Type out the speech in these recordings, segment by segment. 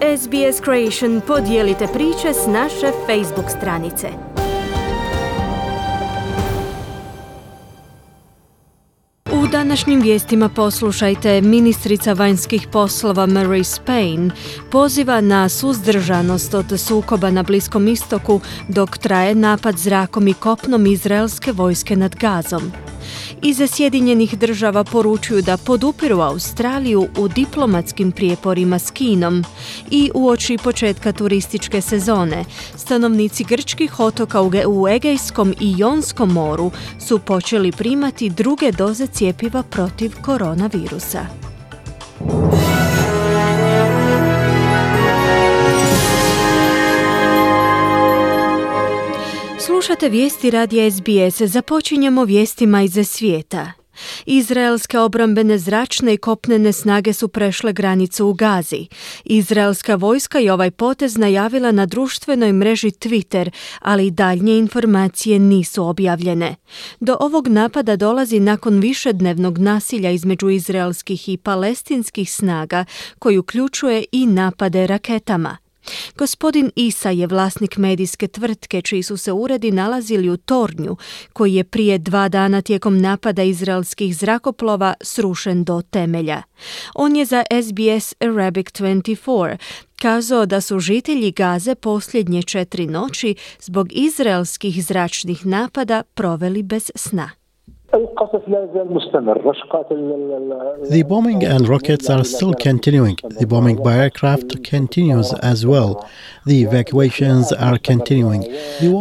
SBS Creation podijelite priče s naše Facebook stranice. U današnjim vijestima poslušajte, ministrica vanjskih poslova Marise Payne poziva na suzdržanost od sukoba na Bliskom istoku dok traje napad zrakom i kopnom izraelske vojske nad Gazom. Iz Sjedinjenih država poručuju da podupiru Australiju u diplomatskim prijeporima s Kinom i uoči početka turističke sezone stanovnici grčkih otoka u Egejskom i Jonskom moru su počeli primati druge doze cjepiva protiv koronavirusa. Slušate vijesti radija SBS. Započinjemo vijestima iz svijeta. Izraelske obrambene zračne i kopnene snage su prešle granicu u Gazi. Izraelska vojska je ovaj potez najavila na društvenoj mreži Twitter, ali daljnje informacije nisu objavljene. Do ovog napada dolazi nakon višednevnog nasilja između izraelskih i palestinskih snaga, koji uključuje i napade raketama. Gospodin Isa je vlasnik medijske tvrtke čiji su se uredi nalazili u tornju, koji je prije 2 dana tijekom napada izraelskih zrakoplova srušen do temelja. On je za SBS Arabic 24 kazao da su žitelji Gaze posljednje 4 noći zbog izraelskih zračnih napada proveli bez sna. The bombing and rockets are still continuing. The bombing by aircraft continues as well. The evacuations are continuing.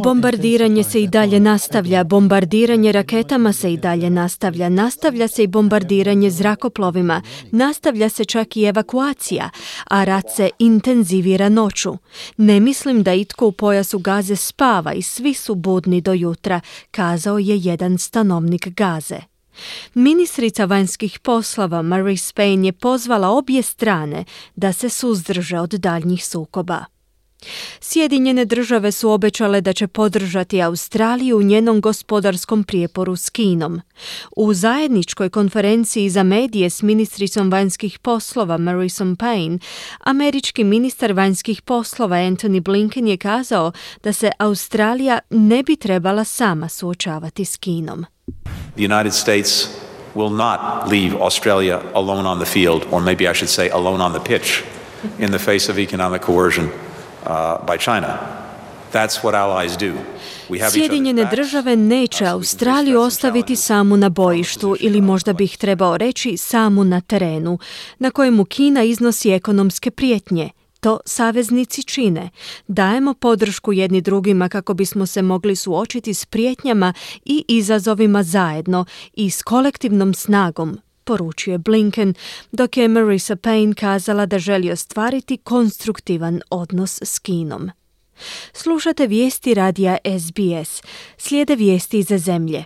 Bombardiranje se i dalje nastavlja, bombardiranje raketama se i dalje nastavlja, nastavlja se i bombardiranje zrakoplovima, nastavlja se čak i evakuacija, a rat se intenzivira noću. Ne mislim da itko u pojasu Gaze spava i svi su budni do jutra, kazao je jedan stanovnik Gaze. Ministrica vanjskih poslova Marise Payne je pozvala obje strane da se suzdrže od daljnjih sukoba. Sjedinjene države su obećale da će podržati Australiju u njenom gospodarskom prijeporu s Kinom. U zajedničkoj konferenciji za medije s ministricom vanjskih poslova Marisom Payne, američki ministar vanjskih poslova Antony Blinken je kazao da se Australija ne bi trebala sama suočavati s Kinom. The United States will not leave Australia alone on the field, or maybe I should say alone on the pitch, in the face of economic coercion by China. That's what allies do. Sjedinjene države neće Australiju ostaviti samu na bojištu, ili možda bih trebao reći samu na terenu, na kojemu Kina iznosi ekonomske prijetnje. To saveznici čine. Dajemo podršku jedni drugima kako bismo se mogli suočiti s prijetnjama i izazovima zajedno i s kolektivnom snagom, poručuje Blinken, dok je Marisa Payne kazala da želi ostvariti konstruktivan odnos s Kinom. Slušate vijesti radija SBS. Slijede vijesti iz zemlje.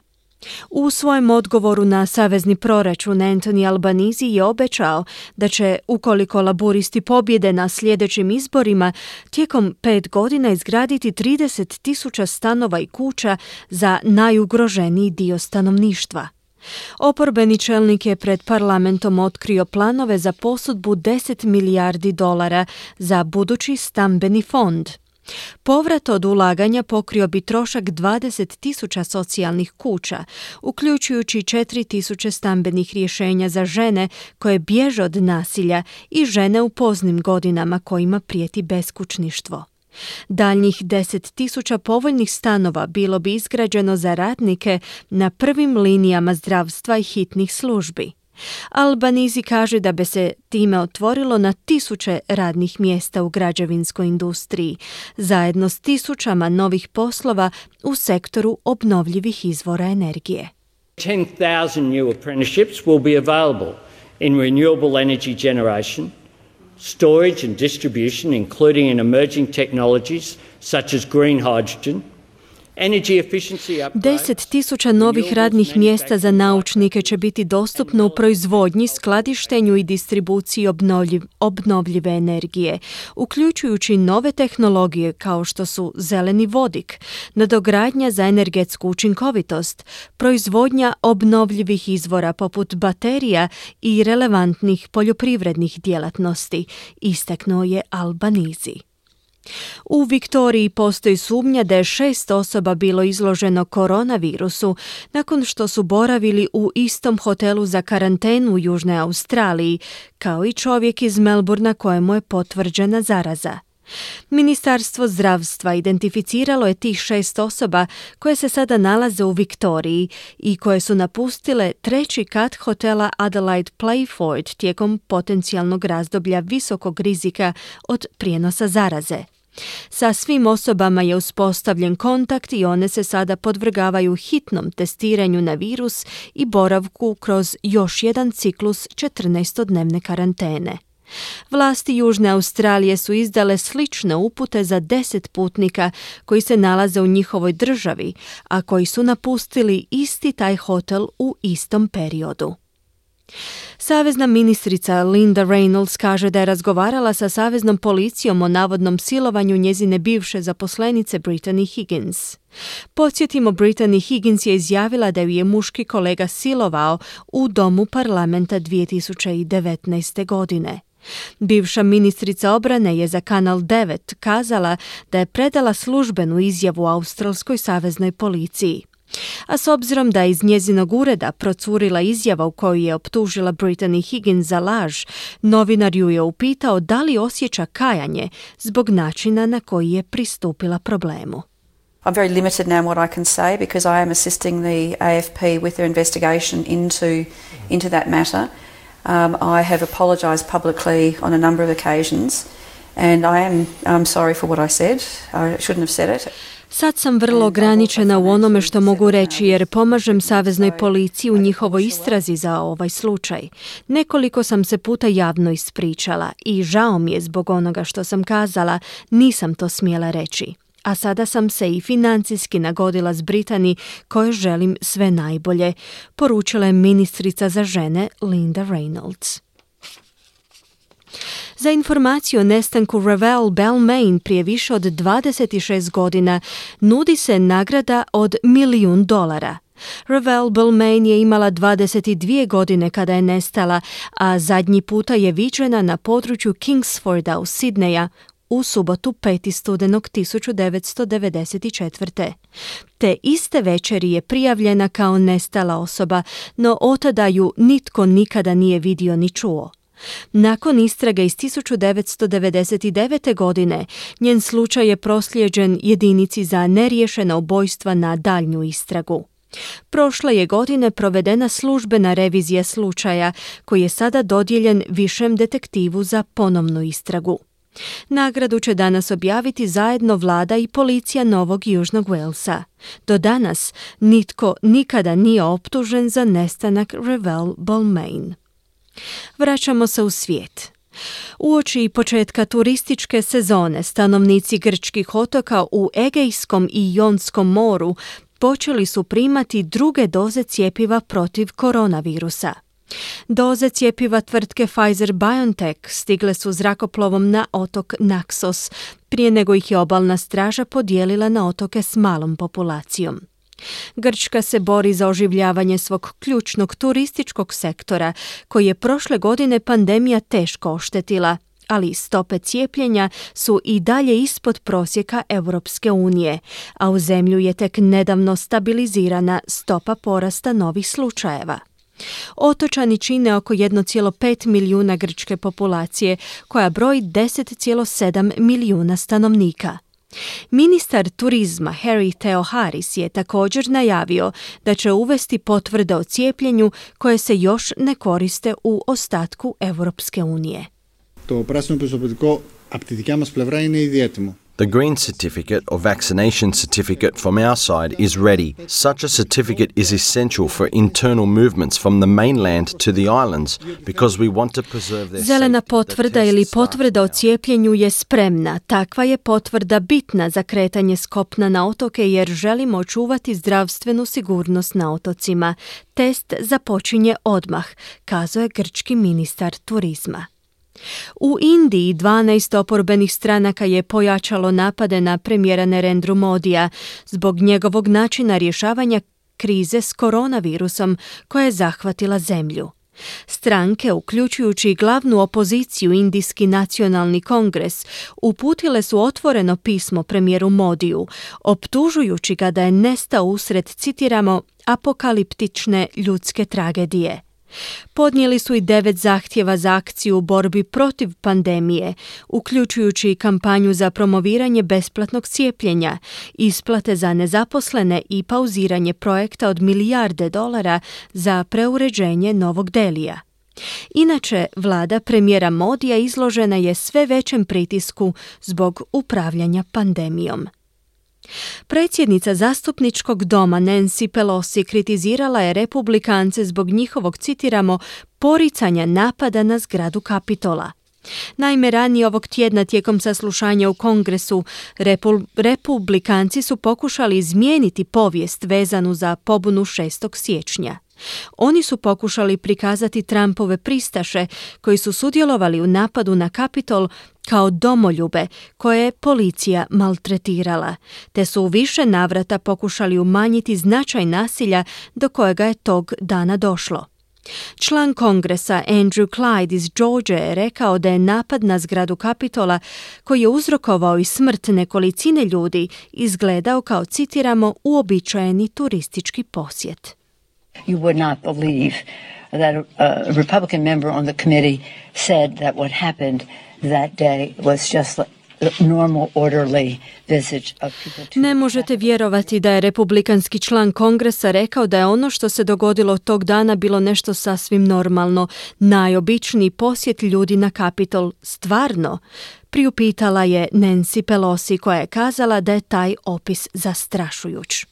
U svojem odgovoru na savezni proračun Anthony Albanese je obećao da će, ukoliko laburisti pobjede na sljedećim izborima, tijekom 5 godina izgraditi 30,000 stanova i kuća za najugroženiji dio stanovništva. Oporbeni čelnik je pred parlamentom otkrio planove za posudbu $10 milijardi za budući stambeni fond. Povrat od ulaganja pokrio bi trošak 20,000 socijalnih kuća, uključujući 4,000 stambenih rješenja za žene koje bježe od nasilja i žene u poznim godinama kojima prijeti beskućništvo. Daljnjih 10,000 povoljnih stanova bilo bi izgrađeno za radnike na prvim linijama zdravstva i hitnih službi. Albanese kaže da bi se time otvorilo na 1000 radnih mjesta u građevinskoj industriji, zajedno s 1000 novih poslova u sektoru obnovljivih izvora energije. 10,000 new apprenticeships will be available in renewable energy generation, storage and distribution, including in emerging technologies such as green hydrogen, 10.000 novih radnih mjesta za naučnike će biti dostupno u proizvodnji, skladištenju i distribuciji obnovljive energije, uključujući nove tehnologije kao što su zeleni vodik, nadogradnja za energetsku učinkovitost, proizvodnja obnovljivih izvora poput baterija i relevantnih poljoprivrednih djelatnosti, istaknuo je Albanizi. U Viktoriji postoji sumnja da je 6 osoba bilo izloženo koronavirusu nakon što su boravili u istom hotelu za karantenu u Južnoj Australiji, kao i čovjek iz Melbourna kojemu je potvrđena zaraza. Ministarstvo zdravstva identificiralo je tih 6 osoba koje se sada nalaze u Viktoriji i koje su napustile 3. kat hotela Adelaide Playford tijekom potencijalnog razdoblja visokog rizika od prijenosa zaraze. Sa svim osobama je uspostavljen kontakt i one se sada podvrgavaju hitnom testiranju na virus i boravku kroz još jedan ciklus 14-dnevne karantene. Vlasti Južne Australije su izdale slične upute za 10 putnika koji se nalaze u njihovoj državi, a koji su napustili isti taj hotel u istom periodu. Savezna ministrica Linda Reynolds kaže da je razgovarala sa saveznom policijom o navodnom silovanju njezine bivše zaposlenice Brittany Higgins. Podsjetimo, Brittany Higgins je izjavila da ju je muški kolega silovao u domu parlamenta 2019. godine. Bivša ministrica obrane je za Kanal 9 kazala da je predala službenu izjavu australskoj saveznoj policiji. A s obzirom da je iz njezinog ureda procurila izjava u kojoj je optužila Brittany Higgins za laž, novinar ju je upitao da li osjeća kajanje zbog načina na koji je pristupila problemu. I'm very limited now in what I can say because I am assisting the AFP with their investigation into that matter. I have apologised publicly on a number of occasions and I'm sorry for what I said. I shouldn't have said it. Sad sam vrlo ograničena u onome što mogu reći jer pomažem saveznoj policiji u njihovoj istrazi za ovaj slučaj. Nekoliko sam se puta javno ispričala i žao mi je zbog onoga što sam kazala, nisam to smjela reći. A sada sam se i financijski nagodila s Brittany kojoj želim sve najbolje, poručila je ministrica za žene Linda Reynolds. Za informaciju o nestanku Ravel Balmain prije više od 26 godina nudi se nagrada od $1 milijun. Ravel Balmain je imala 22 godine kada je nestala, a zadnji puta je viđena na području Kingsforda u Sidneja u subotu 5. studenog 1994. Te iste večeri je prijavljena kao nestala osoba, no otada ju nitko nikada nije vidio ni čuo. Nakon istrage iz 1999. godine, njen slučaj je proslijeđen jedinici za neriješena ubojstva na daljnju istragu. Prošle je godine provedena službena revizija slučaja, koji je sada dodijeljen višem detektivu za ponovnu istragu. Nagradu će danas objaviti zajedno vlada i policija Novog Južnog Walesa. Do danas nitko nikada nije optužen za nestanak Ravel Balmain. Vraćamo se u svijet. Uoči početka turističke sezone stanovnici grčkih otoka u Egejskom i Jonskom moru počeli su primati druge doze cjepiva protiv koronavirusa. Doze cjepiva tvrtke Pfizer-BioNTech stigle su zrakoplovom na otok Naxos, prije nego ih je obalna straža podijelila na otoke s malom populacijom. Grčka se bori za oživljavanje svog ključnog turističkog sektora, koji je prošle godine pandemija teško oštetila, ali stope cijepljenja su i dalje ispod prosjeka Europske unije, a u zemlju je tek nedavno stabilizirana stopa porasta novih slučajeva. Otočani čine oko 1,5 milijuna grčke populacije, koja broji 10,7 milijuna stanovnika. Ministar turizma Harry Theoharis je također najavio da će uvesti potvrde o cijepljenju koje se još ne koriste u ostatku Europske unije. Το πράσινο πιστοποιητικό από τη δικιά μας πλευρά είναι ήδη έτοιμο. The green certificate or vaccination certificate from our side is ready. Such a certificate is essential for internal movements from the mainland to the islands because we want to preserve their Zelena safety. potvrda ili potvrda o cijepljenju je spremna. Takva je potvrda bitna za kretanje s kopna na otoke jer želimo očuvati zdravstvenu sigurnost na otocima. Test započinje odmah, kazao je grčki ministar turizma. U Indiji 12 oporbenih stranaka je pojačalo napade na premijera Narendru Modija zbog njegovog načina rješavanja krize s koronavirusom koja je zahvatila zemlju. Stranke, uključujući glavnu opoziciju Indijski nacionalni kongres, uputile su otvoreno pismo premijeru Modiju, optužujući ga da je nestao usred, citiramo, apokaliptične ljudske tragedije. Podnijeli su i 9 zahtjeva za akciju u borbi protiv pandemije, uključujući kampanju za promoviranje besplatnog cijepljenja, isplate za nezaposlene i pauziranje projekta od milijarde dolara za preuređenje Novog Delija. Inače, vlada premijera Modija izložena je sve većem pritisku zbog upravljanja pandemijom. Predsjednica zastupničkog doma Nancy Pelosi kritizirala je republikance zbog njihovog, citiramo, poricanja napada na zgradu Kapitola. Naime, ranije ovog tjedna tijekom saslušanja u Kongresu republikanci su pokušali izmijeniti povijest vezanu za pobunu 6. siječnja. Oni su pokušali prikazati Trumpove pristaše koji su sudjelovali u napadu na Kapitol kao domoljube koje je policija maltretirala, te su u više navrata pokušali umanjiti značaj nasilja do kojega je tog dana došlo. Član kongresa Andrew Clyde iz Georgia je rekao da je napad na zgradu Kapitola, koji je uzrokovao i smrt nekolicine ljudi, izgledao kao, citiramo, uobičajeni turistički posjet. You would not believe that a Republican member on the committee said that what happened that day was just a normal, orderly visit of people to... Ne možete vjerovati da je republikanski član kongresa rekao da je ono što se dogodilo tog dana bilo nešto sasvim normalno, najobičniji posjet ljudi na Kapitol. Stvarno? Priupitala je Nancy Pelosi, koja je kazala da je taj opis zastrašujuć.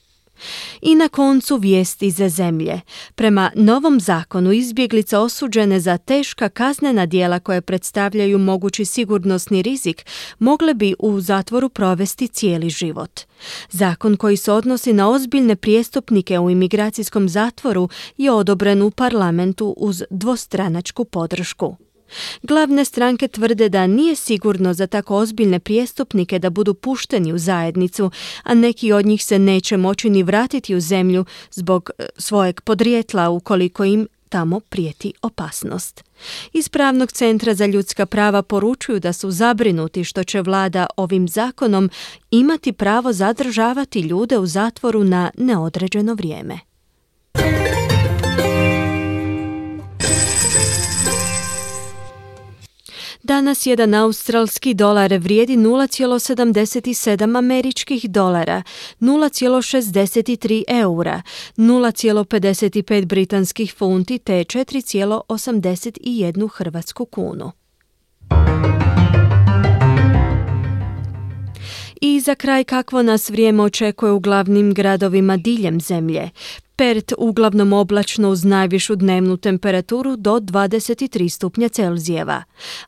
I na koncu vijesti za zemlje. Prema novom zakonu izbjeglice osuđene za teška kaznena djela koje predstavljaju mogući sigurnosni rizik mogle bi u zatvoru provesti cijeli život. Zakon koji se odnosi na ozbiljne prijestupnike u imigracijskom zatvoru je odobren u parlamentu uz dvostranačku podršku. Glavne stranke tvrde da nije sigurno za tako ozbiljne prijestupnike da budu pušteni u zajednicu, a neki od njih se neće moći ni vratiti u zemlju zbog svojeg podrijetla ukoliko im tamo prijeti opasnost. Iz Pravnog centra za ljudska prava poručuju da su zabrinuti što će vlada ovim zakonom imati pravo zadržavati ljude u zatvoru na neodređeno vrijeme. Danas jedan australski dolar vrijedi 0,77 američkih dolara, 0,63 eura, 0,55 britanskih funti te 4,81 hrvatsku kunu. I za kraj, kakvo nas vrijeme očekuje u glavnim gradovima diljem zemlje. Perth uglavnom oblačno uz najvišu dnevnu temperaturu do 23 stupnja Celzijeva.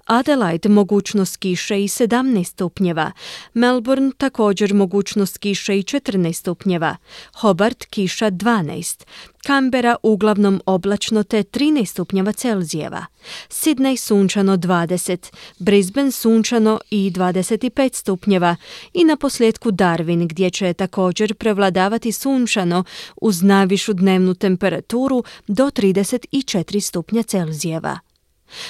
Adelaide mogućnost kiše i 17 stupnjeva. Melbourne također mogućnost kiše i 14 stupnjeva. Hobart kiša 12. Canberra uglavnom oblačno te 13 stupnjeva Celzijeva. Sydney sunčano 20. Brisbane sunčano i 25 stupnjeva. I na posljedku Darwin gdje će također prevladavati sunčano uz najvišu dnevnu temperaturu do 34 stupnja Celzijeva.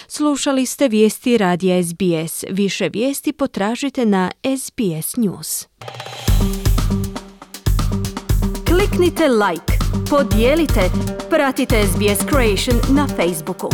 Slušali ste vijesti radija SBS. Više vijesti potražite na SBS News. Kliknite like, podijelite, pratite SBS Creation na Facebooku.